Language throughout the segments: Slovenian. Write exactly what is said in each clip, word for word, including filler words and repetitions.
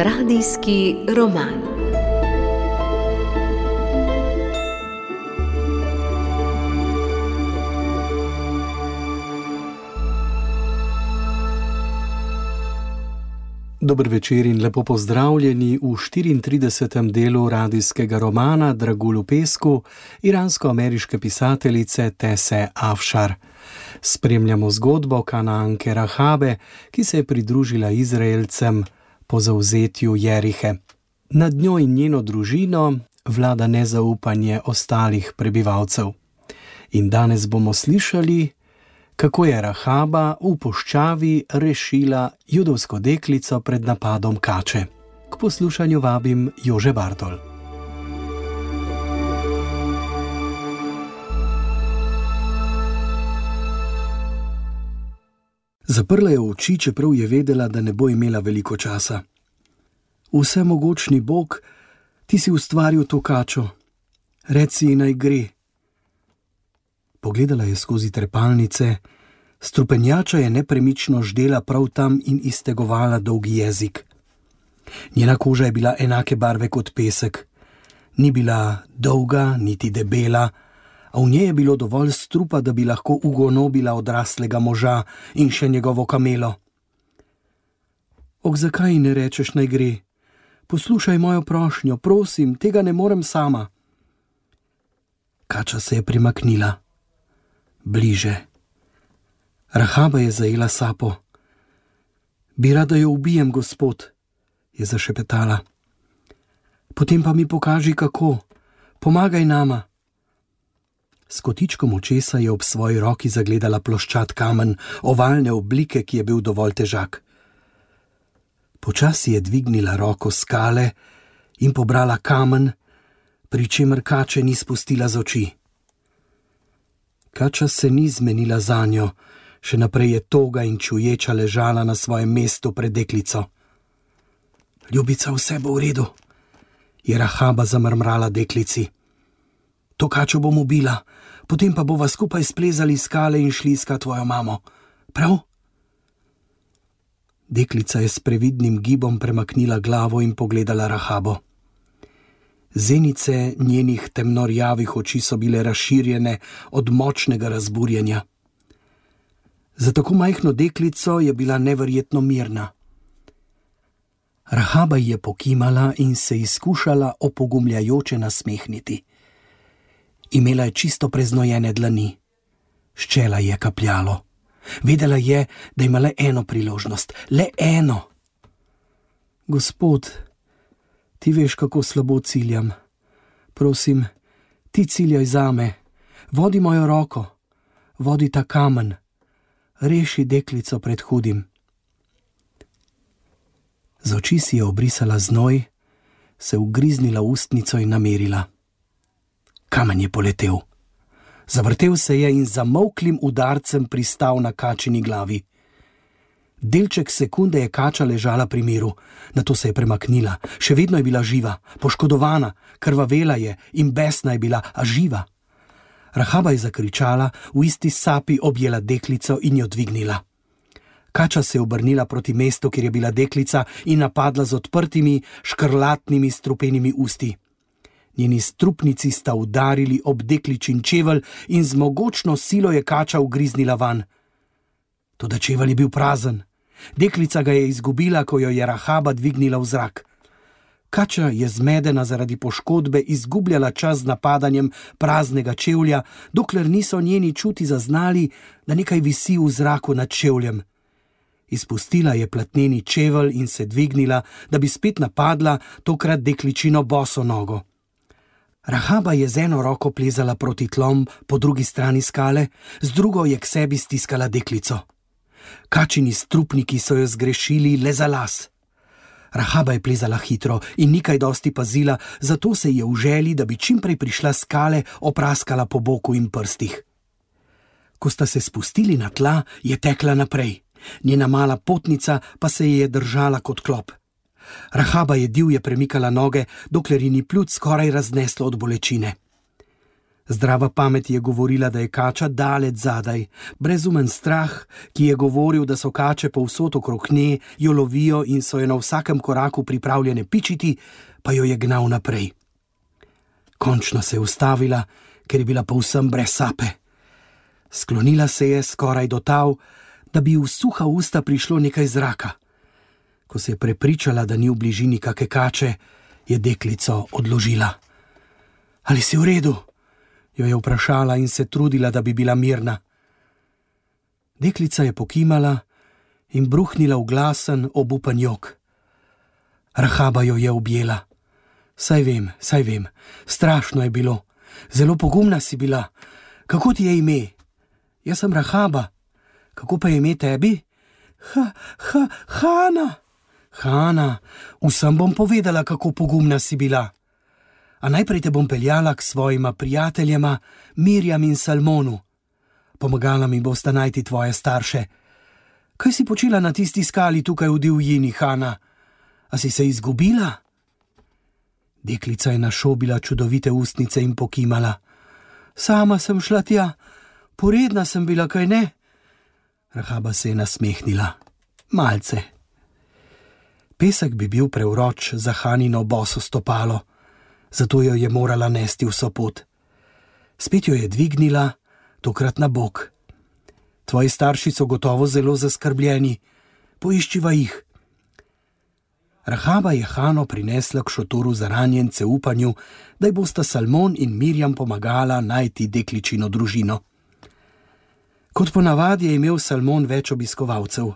Radijski roman. Dober večer in lepo pozdravljeni v štiriintridesetem delu radijskega romana Dragulj v pesku iransko-ameriške pisateljice Tese Afšar. Spremljamo zgodbo Kanaanke Rahabe, ki se je pridružila Izraelcem po zavzetju Jerihe. Nad njo in njeno družino vlada nezaupanje ostalih prebivalcev. In danes bomo slišali, kako je Rahaba v puščavi rešila judovsko deklico pred napadom kače. K poslušanju vabim Jože Bartol. Zaprla je oči, čeprav je vedela, da ne bo imela veliko časa. Vsemogočni Bog, ti si ustvaril to kačo. Reci ji naj gre. Pogledala je skozi trepalnice, strupenjača je nepremično ždela prav tam in iztegovala dolgi jezik. Njena koža je bila enake barve kot pesek. Ni bila dolga, niti debela, a v njej je bilo dovolj strupa, da bi lahko ugonobila odraslega moža in še njegovo kamelo. Ok, zakaj ne rečeš naj gre? Poslušaj mojo prošnjo, prosim, tega ne morem sama. Kača se je primaknila. Bliže. Rahaba je zajela sapo. Bi rada jo ubijem, gospod, je zašepetala. Potem pa mi pokaži, kako. Pomagaj nama. S kotičkom očesa je ob svoji roki zagledala ploščat kamen, ovalne oblike, ki je bil dovolj težak. Počasi je dvignila roko skale in pobrala kamen, pri čemer kače ni spustila z oči. Kača se ni zmenila zanjo, še naprej je toga in čuječa ležala na svojem mestu pred deklico. Ljubica, vse bo v redu, je Rahaba zamrmrala deklici. To kačo bom ubila, potem pa bova skupaj splezali skale in šli iskat tvojo mamo. Prav? Deklica je s previdnim gibom premaknila glavo in pogledala Rahabo. Zenice njenih temnorjavih oči so bile razširjene od močnega razburjenja. Za tako majhno deklico je bila neverjetno mirna. Rahaba je pokimala in se izkušala opogumljajoče nasmehniti. Imela je čisto preznojene dlani. S čela je kapljalo. Vedela je, da ima le eno priložnost. Le eno. Gospod, ti veš, kako slabo ciljam. Prosim, ti ciljaj zame. Vodi mojo roko. Vodi ta kamen. Reši deklico pred hudim. Z oči si je obrisala znoj, se ugriznila ustnico in namerila. Kamen je poletel. Zavrtel se je in zamolklim udarcem pristal na kačini glavi. Delček sekunde je kača ležala pri miru, nato se je premaknila. Še vedno je bila živa, poškodovana, krvavela je in besna je bila, a živa. Rahaba je zakričala, v isti sapi objela deklico in jo dvignila. Kača se je obrnila proti mestu, kjer je bila deklica, in napadla z odprtimi, škrlatnimi, strupenimi usti. Njeni strupnici sta udarili ob dekličin čevelj in z mogočno silo je kača ugriznila van. Toda čevelj je bil prazen. Deklica ga je izgubila, ko jo je Rahaba dvignila v zrak. Kača je zmedena zaradi poškodbe izgubljala čas z napadanjem praznega čevlja, dokler niso njeni čuti zaznali, da nekaj visi v zraku nad čevljem. Izpustila je platneni čevelj in se dvignila, da bi spet napadla, tokrat dekličino boso nogo. Rahaba je z eno roko plezala proti tlom po drugi strani skale, z drugo je k sebi stiskala deklico. Kačini strupniki so jo zgrešili le za las. Rahaba je plezala hitro in ni kaj dosti pazila, zato se je v želji, da bi čimprej prišla skale, opraskala po boku in prstih. Ko sta se spustili na tla, je tekla naprej. Njena mala potnica pa se je držala kot klop. Rahaba je divje premikala noge, dokler ji ni plut skoraj razneslo od bolečine. Zdrava pamet je govorila, da je kača daleč zadaj, brezumen strah, ki je govoril, da so kače povsod okrog nje, jo lovijo in so jo na vsakem koraku pripravljene pičiti, pa jo je gnal naprej. Končno se je ustavila, ker je bila povsem brez sape. Sklonila se je skoraj do tal, da bi v suha usta prišlo nekaj zraka. Ko se je prepričala, da ni v bližini kake kače, je deklico odložila. Ali si v redu? Jo je vprašala in se trudila, da bi bila mirna. Deklica je pokimala in bruhnila v glasen, obupan jok. Rahaba jo je objela. Saj vem, saj vem, strašno je bilo. Zelo pogumna si bila. Kako ti je ime? Jaz sem Rahaba. Kako pa je ime tebi? Ha, ha, Hana. Hana, vsem bom povedala, kako pogumna si bila. A najprej te bom peljala k svojima prijateljema Mirjam in Salmonu. Pomagala mi bosta najti tvoje starše. Kaj si počela na tisti skali tukaj v divjini, Hana? A si se izgubila? Deklica je našobila čudovite ustnice in pokimala. Sama sem šla tja, poredna sem bila, kaj ne? Rahaba se je nasmehnila. Malce. Pesek bi bil prevroč za Hanino boso stopalo, zato jo je morala nesti vso pot. Spet jo je dvignila, tokrat na bok. Tvoji starši so gotovo zelo zaskrbljeni, poiščiva jih. Rahaba je Hano prinesla k šotoru za ranjence v upanju, da ji bosta Salmon in Mirjam pomagala najti dekličino družino. Kot ponavadi je imel Salmon več obiskovalcev.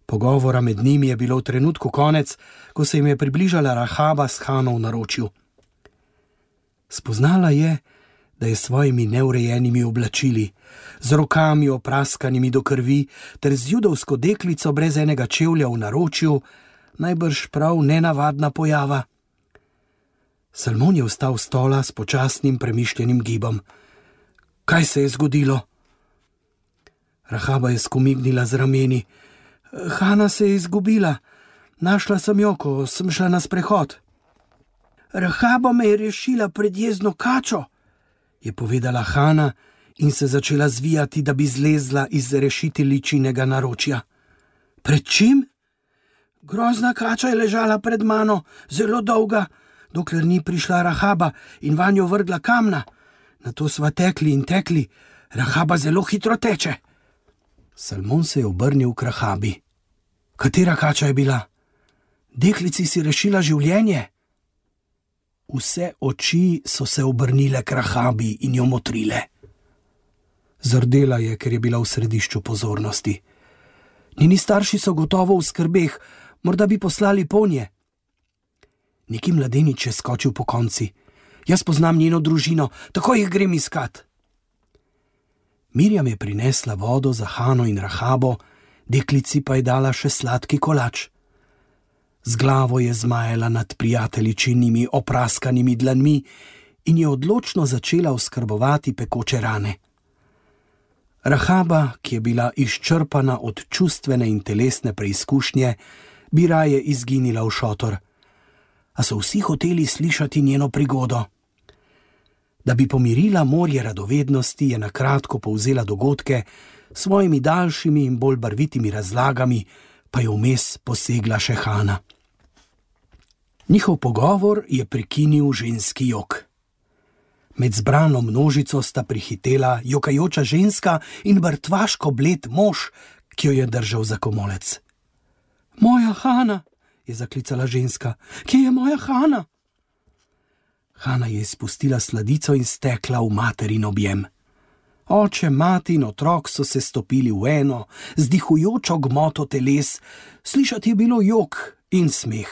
Pogovora med njimi je bilo v trenutku konec, ko se jim je približala Rahaba s Hano v naročju. Spoznala je, da je s svojimi neurejenimi oblačili, z rokami opraskanimi do krvi ter z judovsko deklico brez enega čevlja v naročju, najbrž prav nenavadna pojava. Salmon je vstal s stola s počasnim premišljenim gibom. Kaj se je zgodilo? Rahaba je skomignila z rameni. Hana se je izgubila. Našla sem jo, ko sem šla na sprehod. Rahaba me je rešila pred jezno kačo, je povedala Hana in se začela zvijati, da bi zlezla iz rešiteljičinega naročja. Pred čim? Grozna kača je ležala pred mano, zelo dolga, dokler ni prišla Rahaba in vanjo vrgla kamna. Nato sva tekli in tekli. Rahaba zelo hitro teče. Salmon se je obrnil k Rahabi. Katera kača je bila? Deklici si rešila življenje? Vse oči so se obrnile k Rahabi in jo motrile. Zardela je, ker je bila v središču pozornosti. Njeni starši so gotovo v skrbeh, morda bi poslali ponje. Neki mladenič je skočil po konci. Jaz poznam njeno družino, tako jih grem iskat. Mirjam je prinesla vodo za Hano in Rahabo, deklici pa je dala še sladki kolač. Z glavo je zmajala nad prijateljičinimi opraskanimi dlanmi in je odločno začela oskrbovati pekoče rane. Rahaba, ki je bila izčrpana od čustvene in telesne preizkušnje, bi raje izginila v šotor. A so vsi hoteli slišati njeno prigodo. Da bi pomirila morje radovednosti, je na kratko povzela dogodke, s svojimi daljšimi in bolj barvitimi razlagami pa je vmes posegla še Hana. Njihov pogovor je prekinil ženski jok. Med zbrano množico sta prihitela jokajoča ženska in mrtvaško bled mož, ki jo je držal za komolec. Moja Hana, je zaklicala ženska. Kje je moja Hana? Hana je izpustila sladico in stekla v materin objem. Oče, mati in otrok so se stopili v eno, z dihujočo gmoto teles, slišati je bilo jok in smeh.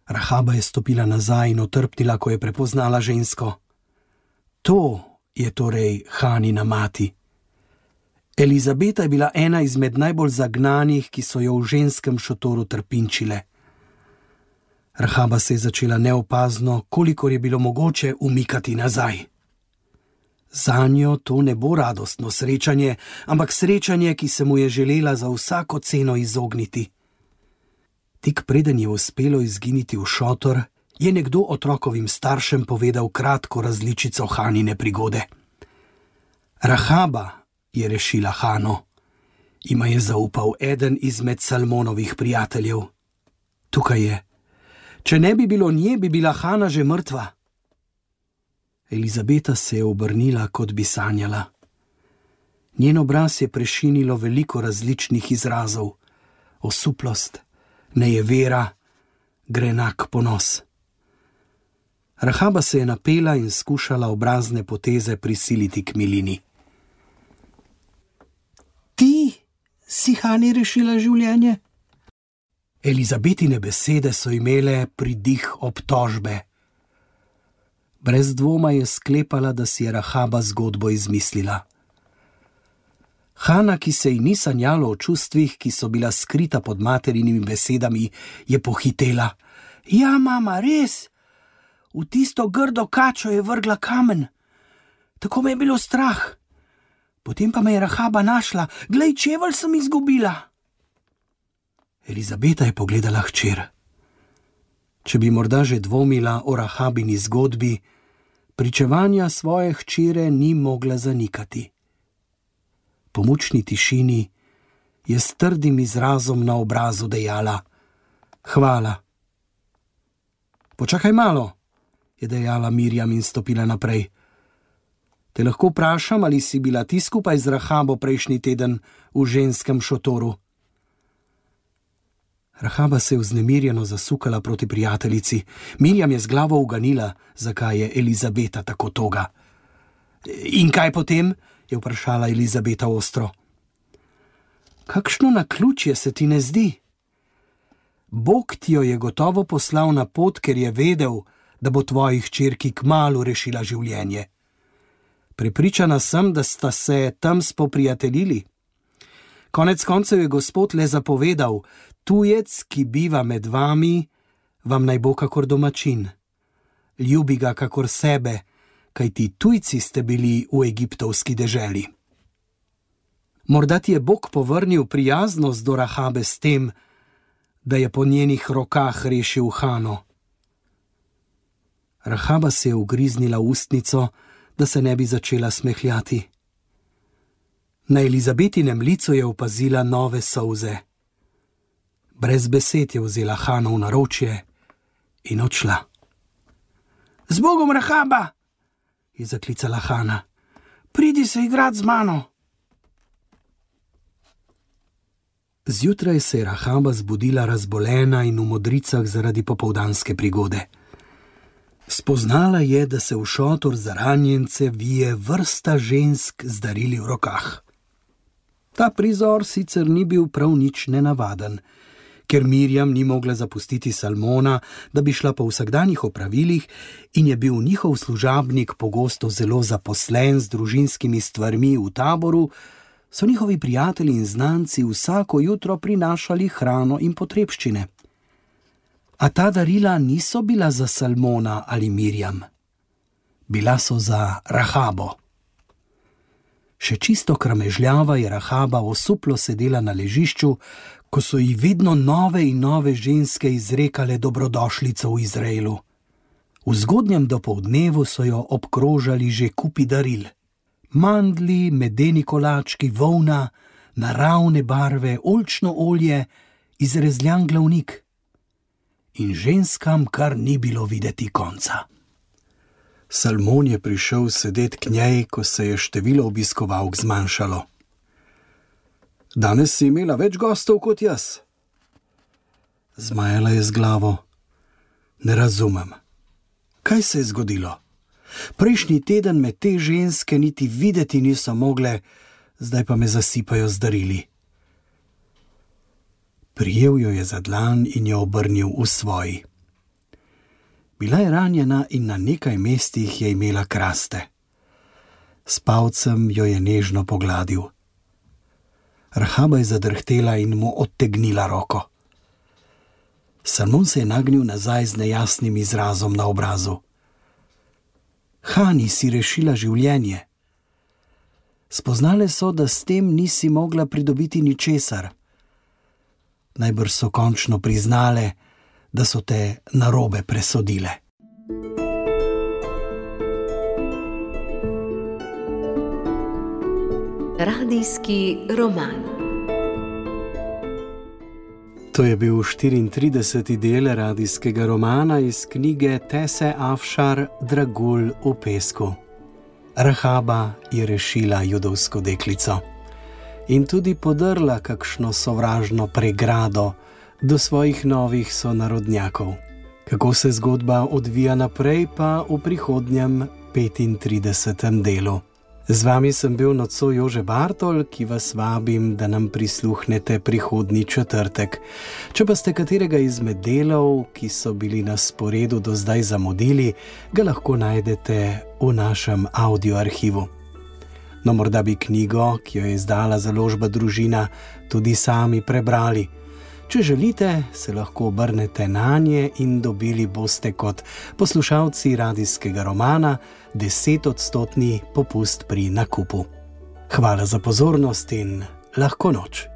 Rahaba je stopila nazaj in otrpnila, ko je prepoznala žensko. To je torej Hanina mati. Elizabeta je bila ena izmed najbolj zagnanih, ki so jo v ženskem šotoru trpinčile. Rahaba se je začela neopazno, kolikor je bilo mogoče, umikati nazaj. Zanjo to ne bo radostno srečanje, ampak srečanje, ki se mu je želela za vsako ceno izogniti. Tik preden je uspelo izginiti v šotor, je nekdo otrokovim staršem povedal kratko različico Hanine prigode. Rahaba je rešila Hano, ima je zaupal eden izmed Salmonovih prijateljev. Tukaj je. Če ne bi bilo nje, bi bila Hana že mrtva. Elizabeta se je obrnila, kot bi sanjala. Njen obraz je prešinilo veliko različnih izrazov. Osuplost, nejevera, grenak ponos. Rahaba se je napela in skušala obrazne poteze prisiliti k milini. Ti si Hani rešila življenje? Elizabetine besede so imele pridih obtožbe. Brez dvoma je sklepala, da si je Rahaba zgodbo izmislila. Hana, ki se ji ni sanjalo o čustvih, ki so bila skrita pod materinimi besedami, je pohitela. Ja, mama, res! V tisto grdo kačo je vrgla kamen. Tako me je bilo strah. Potem pa me je Rahaba našla. Glej, čevelj sem izgubila. Elizabeta je pogledala hčer. Če bi morda že dvomila o Rahabini zgodbi, pričevanja svoje hčere ni mogla zanikati. Po mučni tišini je s trdim izrazom na obrazu dejala: Hvala. Počakaj malo, je dejala Mirjam in stopila naprej. Te lahko vprašam, ali si bila ti skupaj z Rahabo prejšnji teden v ženskem šotoru? Rahaba se je vznemirjeno zasukala proti prijateljici. Mirjam je z glavo uganila, zakaj je Elizabeta tako toga. In kaj potem? Je vprašala Elizabeta ostro. Kakšno naključje se ti ne zdi? Bog ti jo je gotovo poslal na pot, ker je vedel, da bo tvoji hčerki kmalu rešila življenje. Prepričana sem, da sta se tam spoprijateljili. Konec koncev je Gospod le zapovedal: tujec, ki biva med vami, vam naj bo kakor domačin. Ljubi ga kakor sebe, kajti tujci ste bili v egiptovski deželi. Morda ti je Bog povrnil prijaznost do Rahabe s tem, da je po njenih rokah rešil Hano. Rahaba se je ugriznila v ustnico, da se ne bi začela smehljati. Na Elizabetinem licu je opazila nove solze. Brez besed je vzela Hano v naročje in odšla. Z Bogom, Rahaba, je zaklicala Hana. Pridi se igrat z mano. Zjutraj se je Rahaba zbudila razbolena in v modricah zaradi popoldanske prigode. Spoznala je, da se v šotor za ranjence vije vrsta žensk z darili v rokah. Ta prizor sicer ni bil prav nič nenavaden, ker Mirjam ni mogla zapustiti Salmona, da bi šla po vsakdanjih opravilih, in je bil njihov služabnik pogosto zelo zaposlen z družinskimi stvarmi v taboru, so njihovi prijatelji in znanci vsako jutro prinašali hrano in potrebščine. A ta darila niso bila za Salmona ali Mirjam. Bila so za Rahabo. Še čisto kramežljava je Rahaba osuplo sedela na ležišču, ko so ji vedno nove in nove ženske izrekale dobrodošlico v Izraelu. V zgodnjem dopoldnevu so jo obkrožali že kupi daril. Mandlji, medeni kolački, volna, naravne barve, oljčno olje, izrezljan glavnik. In ženskam kar ni bilo videti konca. Salmon je prišel sedet k njej, ko se je število obiskovalk zmanjšalo. Danes si imela več gostov kot jaz. Zmajala je z glavo. Ne razumem. Kaj se je zgodilo? Prejšnji teden me te ženske niti videti niso mogle, zdaj pa me zasipajo z darili. Prijel jo je za dlan in jo obrnil v svoji. Bila je ranjena in na nekaj mestih je imela kraste. S palcem jo je nežno pogladil. Rahaba je zadrhtela in mu odtegnila roko. Salmon se je nagnil nazaj z nejasnim izrazom na obrazu. Hani si rešila življenje. Spoznale so, da s tem nisi mogla pridobiti ničesar. Najbrž so končno priznale, da so te narobe presodile. Radijski roman. To je bil štiriintrideseti del radijskega romana iz knjige Tese Afšar Dragulj v pesku. Rahaba je rešila judovsko deklico in tudi podrla kakšno sovražno pregrado do svojih novih sonarodnjakov. Kako se zgodba odvija naprej, pa v prihodnjem petintridesetem delu. Z vami sem bil nocoj Jože Bartol, ki vas vabim, da nam prisluhnete prihodnji četrtek. Če pa ste katerega izmed delov, ki so bili na sporedu do zdaj zamudili, ga lahko najdete v našem audioarhivu. No, morda bi knjigo, ki jo je izdala založba Družina, tudi sami prebrali. Če želite, se lahko obrnete nanje in dobili boste kot poslušalci radijskega romana desetodstotni popust pri nakupu. Hvala za pozornost in lahko noč.